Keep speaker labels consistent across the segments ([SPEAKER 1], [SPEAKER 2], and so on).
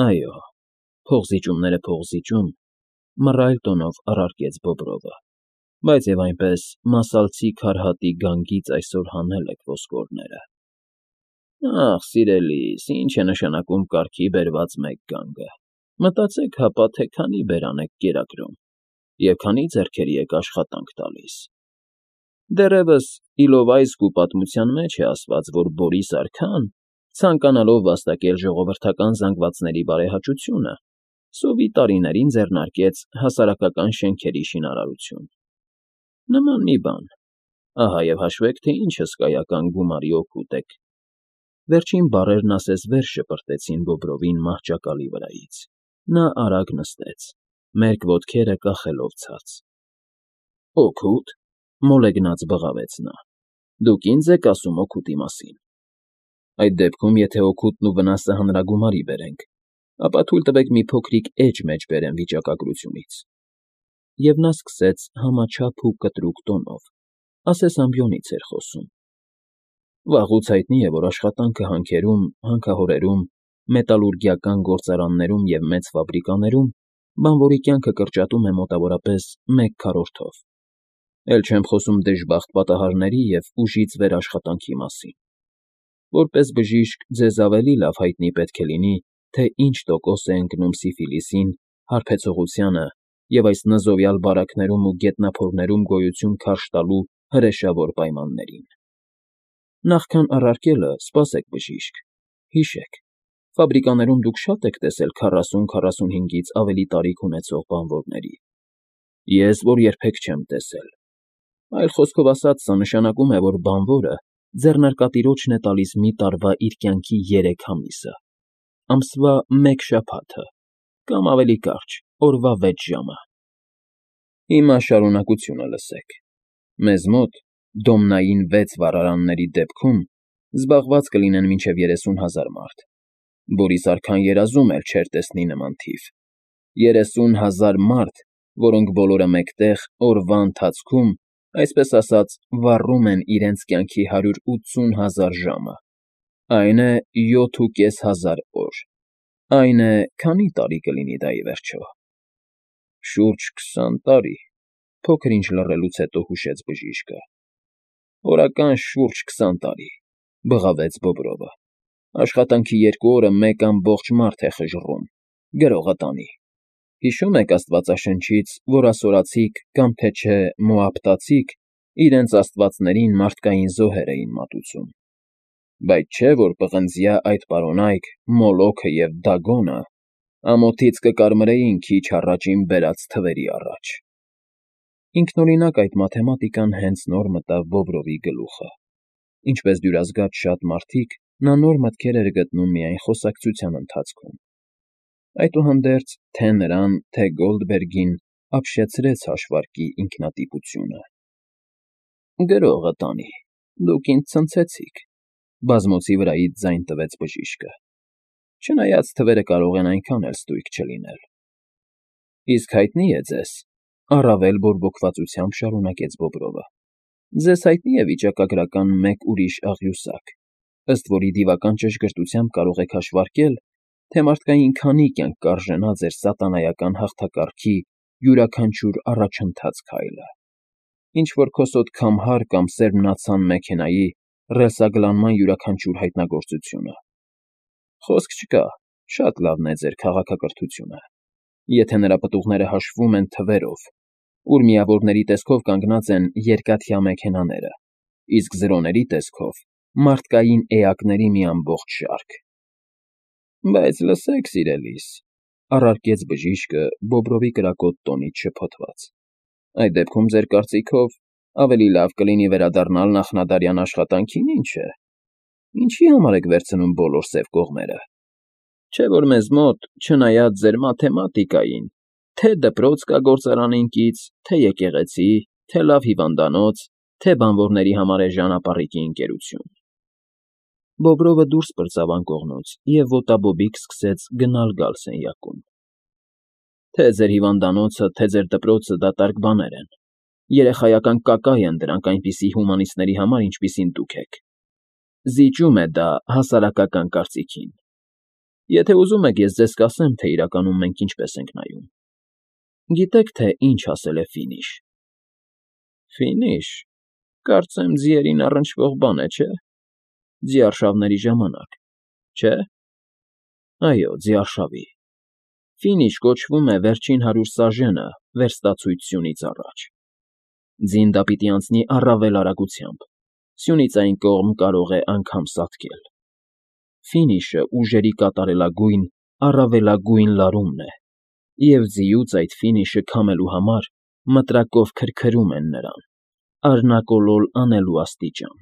[SPEAKER 1] Այո, փողզիջումները փողզիջում, մռայլ տոնով առարկեց Բոբրովը, բայց և այնպես մասալցի քարհատի գանգից այսօր հանել եք ոսկորները։ Ախ, սիրելիս, ինչ է նշանակում կարգի բերված մեկ գանգը, մտածեք հապա, թե քանի բերան եք կերակրում և քանի ձեռքերի եք աշխատանք տալիս։ Դեռևս Իլովայսկու պատմության մեջ է ասված, որ Բորիս արքան, ցանկանալով վաստակել ժողովրդական զանգվածների բարեհաճությունը, սովի տարիներին ձեռնարկեց հասարակական շենքերի շինարարություն։ Նման մի բան, ահա և հաշվեք, թե ինչ հսկայական գումարի օգուտ եք։ Վերջին բառերն ասես վեր շպրտեցին Բոբրովին մահճակալի վրայից։ Նա արագ նստեց, մերկ ոտքերը կախելով ցած։ Օգուտ,֊ մոլեգնած բղավեց նա։֊ Դուք ինձ եք ասում օգուտի մասին։ Այդ դեպքում, եթե օգուտն ու վնասը հանրագումարի բերենք, ապա թույլ տվեք մի փոքրիկ էջ մեջ բերեմ վիճակագրությունից։ Եվ նա սկսեց համաչափ ու կտրուկ տոնով, ասես ամբիոնից էր խոսում. Վաղուց հայտնի է, որ աշխատանքը հանքերում, հանքահորերում, մետալուրգիական գործարաններում և մեծ ֆաբրիկաներում բանվորի կյանքը կրճատում է մոտավորապես 1/4-ով։ Էլ չեմ խոսում դժբախտ պատահարների և ուժից վեր աշխատանքի մասին։ Որպես բժիշկ ձեզ ավելի լավ հայտնի պետք է լինի, թե ինչ տոկոս է ընկնում սիֆիլիսին, հարբեցողությանը և այս նզովյալ բարակներում ու գետնափորներում գոյություն քարշ տալու հրեշավոր պայմաններին։ Նախքան առարկելը, սպասեք, բժիշկ, հիշեք, ֆաբրիկաներում դուք շատ եք տեսել 40-45-ից ավելի տարիք ունեցող բանվորների։ Ես, որ երբեք չեմ տեսել։ Այլ խոսքով ասած, սա նշանակում է, որ բանվորը ձեռնարկատիրոջն է տալիս մի տարվա իր կյանքի 3 ամիսը, ամսվա 1 շաբաթը, կամ ավելի կարճ, օրվա 6 ժամը։ Հիմա շարունակությունը լսեք։ Մեզ մոտ, դոմնային 6 վառարանների դեպքում, զբաղված կլինեն մինչև 30,000 մարդ։ Բորիս արքան երազում էլ չէր տեսնի նման թիվ։ 30,000 մարդ, որոնք բոլորը մեկտեղ, օրվա ընթացքում, այսպես ասած, վառում են իրենց կյանքի 180,000 ժամը։ Այն է 7,500 օր։ Այն է, քանի՞ տարի կլինի դա ի վերջո։ Շուրջ 20 տարի, փոքր-ինչ լռելուց հետո հուշեց բժիշկը։ Օրական շուրջ 20 տարի,֊ բղավեց Բոբրովը։ Աշխատանքի 2 օրը մեկ ամբողջ մարդ է խժռում, գրողը տանի։ Հիշո՞ւմ եք աստվածաշնչից, որ ասորացիք կամ թե չէ մոաբտացիք իրենց աստվածներին մարդկային զոհեր էին մատուցում։ Բայց չէ՞ որ պղնձյա այդ պարոնայք Մոլոքը և Դագոնը ամոթից կկարմրեին քիչ առաջ իմ բերած թվերի առաջ։ Ինքնօրինակ այդ մաթեմատիկան հենց նոր մտավ Բոբրովի գլուխը։ Ինչպես դյուրազգաց շատ մարդիկ, նա նոր մտքեր էր գտնում միայն խոսակցության ընթացքում։ Այդուհանդերձ թե՛ նրան, թե՛ Գոլդբերգին ապշեցրեց հաշվարկի ինքնատիպությունը։ Գրողը տանի, դուք ինձ ցնցեցիք,֊ բազմոցի վրայից ձայն տվեց բժիշկը։ Չնայած թվերը կարող են այնքան էլ ստույգ չլինել։ Իսկ հայտնի է ձեզ,֊ առավել բորբոքվածությամբ շարունակեց Բոբրովը,֊ ձեզ հայտնի է վիճակագրական մեկ ուրիշ աղյուսակ, ըստ որի դիվական ճշգրտությամբ կարող եք հաշվարկել, թե մարդկային քանի կյանք կարժենա ձեր սատանայական հաղթակարգի յուրաքանչյուր առաջընթաց քայլը։ Ինչ֊որ քոսոտ քամհար կամ սերմնացան մեքենայի ռելսագլանման յուրաքանչյուր հայտնագործությունը։ Խոսք չկա, շատ լավն է ձեր քաղաքակրթությունը, եթե նրա պտուղները հաշվում են թվերով, ուր միավորների տեսքով կանգնած են երկաթյա մեքենաները, իսկ զրոների տեսքով՝ մարդկային էակների մի ամբողջ շարք։ Բայց լսեք, սիրելիս,֊ առարկեց բժիշկը Բոբրովի կրակոտ տոնից շփոթված,֊ այդ դեպքում, ձեր կարծիքով, ավելի լավ կլինի վերադառնալ նախնադարյան աշխատանքին, ինչ է։ Ինչի՞ համար եք վերցնում բոլոր սև կողմերը։ Չէ՞ որ մեզ մոտ, չնայած ձեր մաթեմատիկային, թե՛ դպրոց կա գործարանին կից, թե՛ եկեղեցի, թե՛ լավ հիվանդանոց, թե՛ բանվորների համար էժան ապառիկի ընկերություն։ Բոբրովը դուրս պրծավ անկողնուց և ոտաբոբիկ սկսեց գնալ֊գալ սենյակում։ Թե՛ ձեր հիվանդանոցը, թե՛ ձեր դպրոցը դատարկ բաներ են, երեխայական կակայ են դրանք այնպիսի հումանիստների համար, ինչպիսին դուք եք։ Զիջում է դա հասարակական կարծիքին։ Եթե ուզում եք, ես ձեզ կասեմ, թե իրականում մենք ինչպես ենք նայում։ Գիտեք, թե ինչ ասել է Ֆինիշ։ Ֆինիշ, կարծեմ ձիերին առնչվող բան է, չէ՞։ Ձիարշավների ժամանակ, չէ՞։ Այո, ձիարշավի։ Ֆինիշ կոչվում է վերջին 100 սաժենը վերստացույց սյունից առաջ։ Ձին դա պիտի անցնի առավել արագությամբ, սյունից այն կողմ կարող է անգամ սատկել։ Ֆինիշը ուժերի կատարելագույն, առավելագույն լարումն է, և ձիուց այդ ֆինիշը քամելու համար մտրակով քրքրում են նրան, արնակոլոլ անելու աստիճան։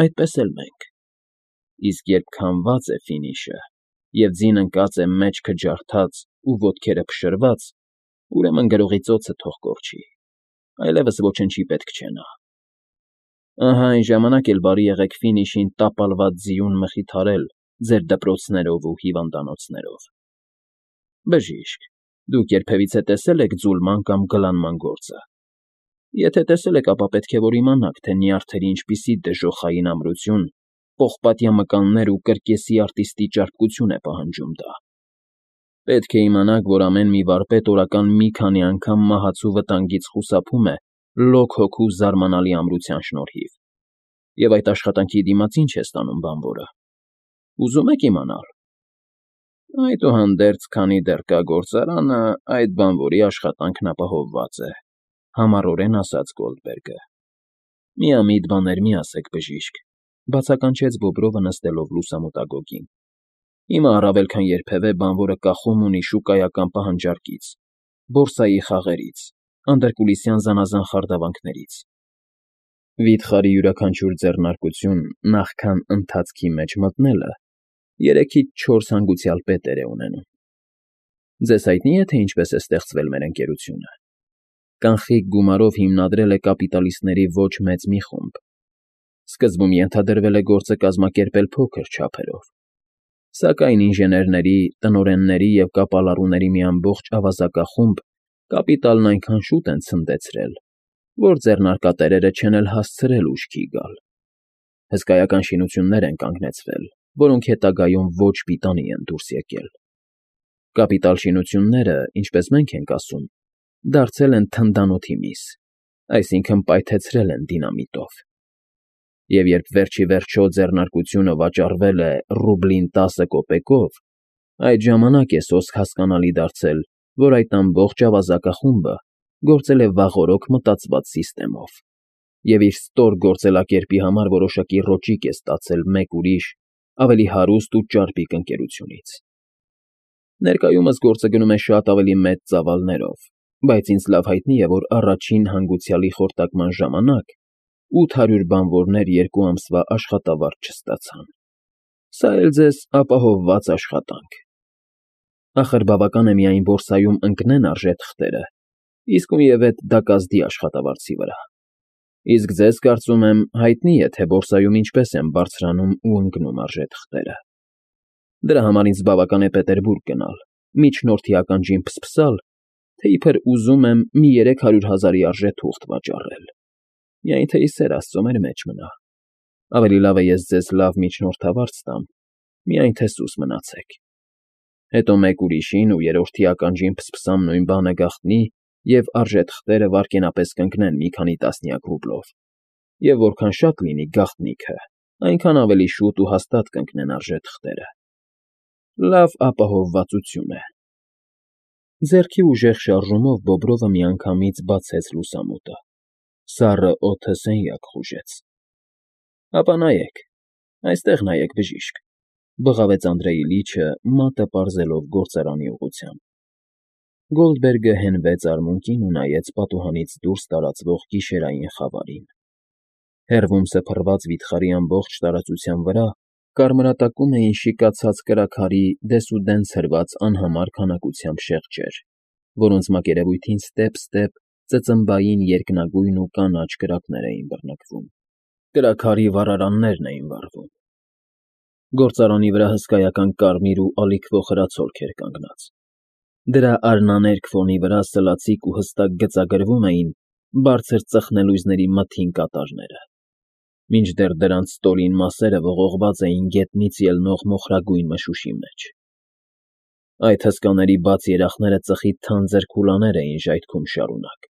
[SPEAKER 1] Այդպես էլ մենք։ Իսկ երբ քամված է ֆինիշը, և ձին ընկած է մեջքը ջարդած ու ոտքերը փշրված, ուրեմն գրողի ծոցը թող կորչի, այլևս ոչնչի պետք չէ նա։ Ահա այն ժամանակ էլ բարի եղեք Ֆինիշին տապալված ձիուն մխիթարել ձեր դպրոցներով ու հիվանդանոցներով։ Բժիշկ, դուք երբևիցե տեսել եք ձուլման կամ գլանման գործը։ Եթե տեսել եք, ապա պետք է որ իմանաք, թե նյարդերի ինչպիսի դժոխային ամրություն, պողպատյա մկաններ ու կրկեսի արտիստի ճարպկություն է պահանջում դա։ Պետք է իմանաք, որ ամեն մի վարպետ օրական մի քանի անգամ մահացու վտանգից խուսափում է լոկ հոգու զարմանալի ամրության շնորհիվ։ Եվ այդ աշխատանքի դիմաց ինչ է ստանում բանվորը։ Ուզում եք իմանալ։ Այդուհանդերձ, քանի դեռ կա գործարանը, այդ բանվորի աշխատանքն ապահովված է, համառորեն ասաց Գոլդբերգը։ Միամիտ բաներ մի ասեք, բժիշկ, բացականչեց Բոբրովը նստելով լուսամուտագոգին։ Հիմա առավել քան երբևէ բանվորը կախում ունի շուկայական պահանջարկից, բորսայի խաղերից, անդրկուլիսյան զանազան խարդավանքներից։ Վիթխարի յուրաքանչյուր ձեռնարկություն նախքան ընթացքի մեջ մտնելը 3-ից 4 հանգուցյալ պետեր է ունենում։ Ձեզ հայտնի է, թե ինչպես է ստեղծվել մեր ընկերությունը։ Կանխիկ գումարով հիմնադրել է կապիտալիստների ոչ մեծ մի խումբ։ Սկզբում ենթադրվել է գործը կազմակերպել փոքր չափերով։ Սակայն ինժեներների, տնօրենների և կապալառուների մի ամբողջ ավազակախումբ կապիտալն այնքան շուտ են ցնդեցրել, որ ձեռնարկատերերը չեն էլ հասցրել ուշքի գալ։ Հսկայական շինություններ են կանգնեցվել, որոնք հետագայում ոչ պիտանի են դուրս եկել։ Կապիտալ շինությունները, ինչպես մենք ենք ասում, դարձել են թնդանոթի միս, այսինքն պայթեցրել են դինամիտով։ Եվ երբ վերջ ի վերջո ձեռնարկությունը վաճառվել է ռուբլին 10 կոպեկով, այդ ժամանակ է սոսկ հասկանալի դարձել, որ այդ ամբողջ ավազակախումբը գործել է վաղօրոք մտածված սիստեմով, և իր ստոր գործելակերպի համար որոշակի ռոճիկ է ստացել մեկ ուրիշ, ավելի հարուստ ու ճարպիկ ընկերությունից։ Ներկայումս գործը գնում է շատ ավելի մեծ ծավալներով, բայց ինձ լավ հայտնի է, որ առաջին հանգուցյալի խորտակման ժամանակ 800 բանվորներ 2 ամսվա աշխատավարձ չստացան։ Սա էլ ձեզ ապահովված աշխատանք։ Ախր բավական է միայն բորսայում ընկնեն արժեթղթերը, իսկույնևեթ դա կազդի աշխատավարձի վրա։ Իսկ ձեզ, կարծում եմ, հայտնի է, թե բորսայում ինչպես են բարձրանում ու ընկնում արժեթղթերը։ Դրա համար ինձ բավական է Պետերբուրգ գնալ, միջնորդի ականջին փսփսալ, թե իբր ուզում եմ մի 300,000-ի արժե թուղթ վաճառել։ Միայն թե ի սեր Աստծո մեր մեջ մնա։ Ավելի լավ է ես ձեզ լավ միջնորդավարձ տամ, միայն թե սուս մնացեք։ Հետո մեկ ուրիշին ու երրորդի ականջին փսփսամ նույն բանը գաղտնի, և արժեթղթերը վայրկենապես կընկնեն մի քանի տասնյակ ռուբլով, և որքան շատ լինի գաղտնիքը, այնքան ավելի շուտ ու հաստատ կընկնեն արժեթղթերը։ Լավ ապահովվածություն է։ Ձեռքի ուժեղ շարժումով Բոբրովը միանգամից բացեց լուսամուտը։ Սառը օդը սենյակ խուժեց։ Ապա նայեք, այստեղ նայեք, բժիշկ, բղավեց Անդրեյ Իլիչը, մատը պարզելով գործարանի ուղղությամբ։ Գոլդբերգը հենվեց արմունկին ու նայեց պատուհանից դուրս տարածվող գիշերային խավարին։ Հեռվում սփռված վիթխարի ամբողջ տարածության վրա կարմրատակում էին շիկացած կրաքարի դեսուդեն ցրված անհամար քանակությամբ շեղջեր, որոնց մակերևույթին ստեպ-ստեպ ծծմբային երկնագույն ու կանաչ կրակներ էին բռնկվում։ Կրաքարի վառարաններն էին վառվում։ Գործարանի վրա հսկայական կարմիր ու ալիքվող հրացոլք էր կանգնած։ Դրա արնաներկ ֆոնի վրա սլացիկ ու հստակ գծագրվում էին բարձր ծխնելույզների մթին կատարները։ Մինչդեռ դրանց ստորին մասերը ողողված էին գետնից ելնող մոխրագույն մշուշի մեջ։ Այդ հսկաների բաց երախները ծխի թանձր քուլաներ էին ժայթքում շարունակ,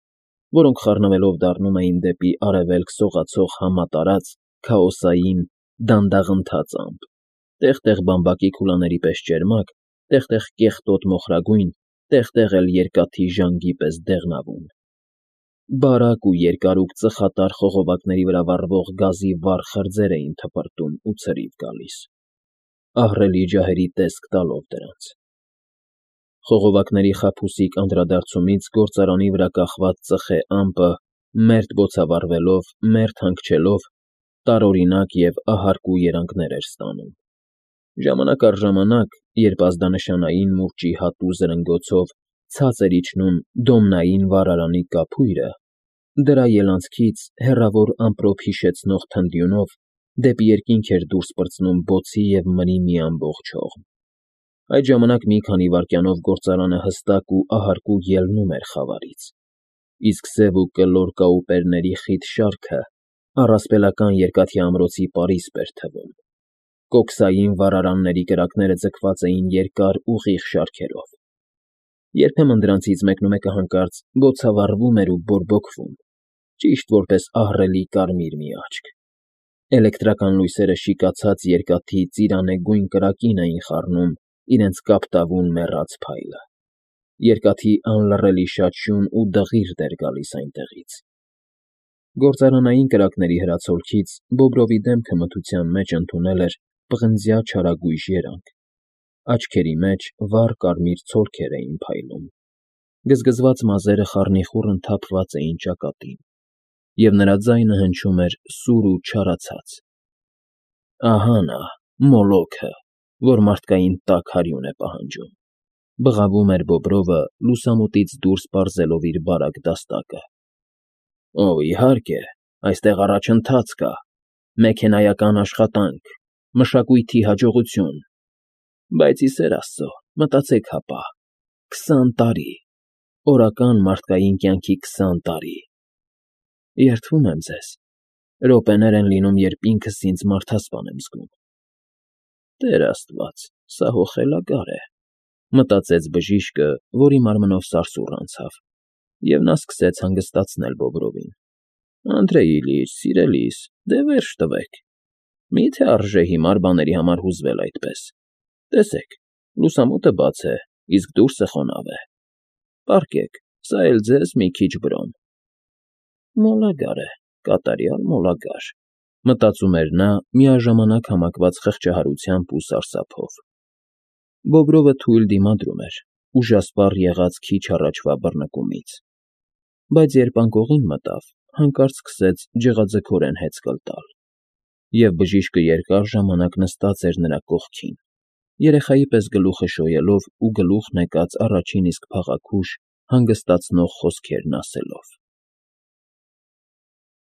[SPEAKER 1] որոնք խառնվելով դառնում էին դեպի արևելք սողացող համատարած, քաոսային, դանդաղընթաց ամպ, տեղ֊տեղ բամբակի քուլաների պես ճերմակ, տեղ֊տեղ կեղտոտ մոխրագույն, տեղ֊տեղ էլ երկաթի ժանգի պես դեղնավուն։ Բարակ ու երկարուկ ծխատար խողովակների վրա վառվող գազի վառ խրձեր էին թպրտում ու ցրիվ գալիս, ահռելի ջահերի տեսք տալով դրանց։ Խողովակների խաբուսիկ անդրադարձումից գործարանի վրա կախված ծխե ամպը, մերթ բոցավառվելով, մերթ հանգչելով, տարօրինակ և ահարկու երանգներ էր ստանում։ Ժամանակ առ ժամանակ, երբ ազդանշանային մուրճի հատու զրնգոցով ցած էր իջնում դոմնային վառարանի կափույրը, դրա ելանցքից հեռավոր ամպրոպ հիշեցնող թնդյունով դեպի երկինք էր դուրս պրծնում բոցի և մրի մի ամբողջ հողմ։ Այդ ժամանակ մի քանի վայրկյանով գործարանը հստակ ու ահարկու ելնում էր խավարից, իսկ սև ու կլոր կաուպերների խիտ շարքը առասպելական երկաթի ամրոցի պարիսպ էր թվում։ Կոքսային վառարանների կրակները ձգված էին երկար ուղիղ շարքերով։ Երբեմն դրանցից մեկնումեկը հանկարծ բոցավառվում էր ու բորբոքվում, ճիշտ որպես ահռելի կարմիր մի աչք։ Էլեկտրական լույսերը շիկացած երկաթի ծիրանեգույն կրակին էին խառնում իրենց կապտավուն մեռած փայլը։ Երկաթի անլռելի շաչյուն ու դղիրդ էր գալիս այնտեղից։ Գործարանային կրակների հրացոլքից Բոբրովի դեմքը մթության մեջ ընդունել էր պղնձյա չարագույժ երանգ, աչքերի մեջ վառ կարմիր ցոլքեր էին փայլում, գզգզված մազերը խառնիխուռն թափված էին ճակատին, և նրա ձայնը հնչում էր սուր ու չարացած։ «Ահա նա, Մոլոքը, որ մարդկային տաք հարյուն է պահանջում», ֊ բղավում էր Բոբրովը, լուսամուտից դուրս պարզելով իր բարակ դաստակը։ «Օ, իհարկե, այստեղ առաջընթաց կա, մեքենայական աշխատանք, մշակույթի հաջողություն, բայց, ի սեր Աստծո, մտածեք հապա, 20 տարի, օրական մարդկային կյանքի 20 տարի… Երդվում եմ ձեզ, րոպեներ են լինում, երբ ինքս ինձ մարդասպան եմ զգում։ Տեր Աստված, սա հո խելագար է», ֊ մտածեց բժիշկը, որի մարմնով սարսուռ անցավ, և նա սկսեց հանգստացնել Բոբրովին։ «Անդրեյ Իլյիչ, սիրելիս, դե վերջ տվեք, մի՞թե արժե հիմար բաների համար հուզվել այդպես։ Տեսեք, լուսամուտը բաց է, իսկ դուրսը խոնավ է։ Պառկեք, սա էլ ձեզ մի քիչ բրոն»։ «Մոլագար է, կատարյալ մոլագար», ֊ մտածում էր նա, միաժամանակ համակված խղճահարությամբ ու սարսափով։ Բոբրովը թույլ դիմադրում էր, ուժասպառ եղած քիչ առաջվա բռնկումից, բայց երբ անկողին մտավ, հանկարծ սկսեց ջղաձգորեն հեծկլ տալ, և բժիշկը երկար ժամանակ նստած էր նրա կողքին, երեխայի պես գլուխը շոյելով ու գլուխն եկած առաջին իսկ փաղաքուշ, հանգստացնող խոսքերն ասելով։